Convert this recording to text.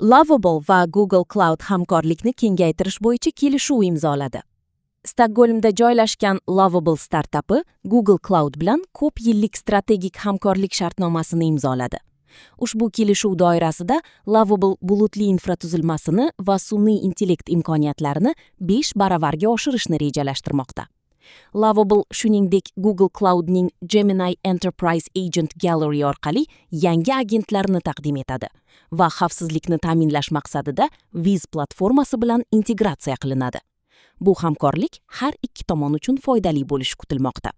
Lovable va Google Cloud hamkorlikni kengaytirish bo'yicha kelishuv imzoladi. Stokgolmda joylashgan Lovable startapi Google Cloud bilan ko'p yillik strategik hamkorlik shartnomasini imzoladi. Ushbu kelishuv doirasida Lovable bulutli infratuzilmasini va sun'iy intellekt imkoniyatlarini 5 baravarga oshirishni rejalashtirmoqda. Lovable shuningdek Google Cloudning Gemini Enterprise Agent Gallery orqali yangi agentlarni taqdim etadi va xavfsizlikni ta'minlash maqsadida Wiz platformasi bilan integratsiya qilinadi. Bu hamkorlik har ikki tomon uchun foydali bo'lishi kutilmoqda.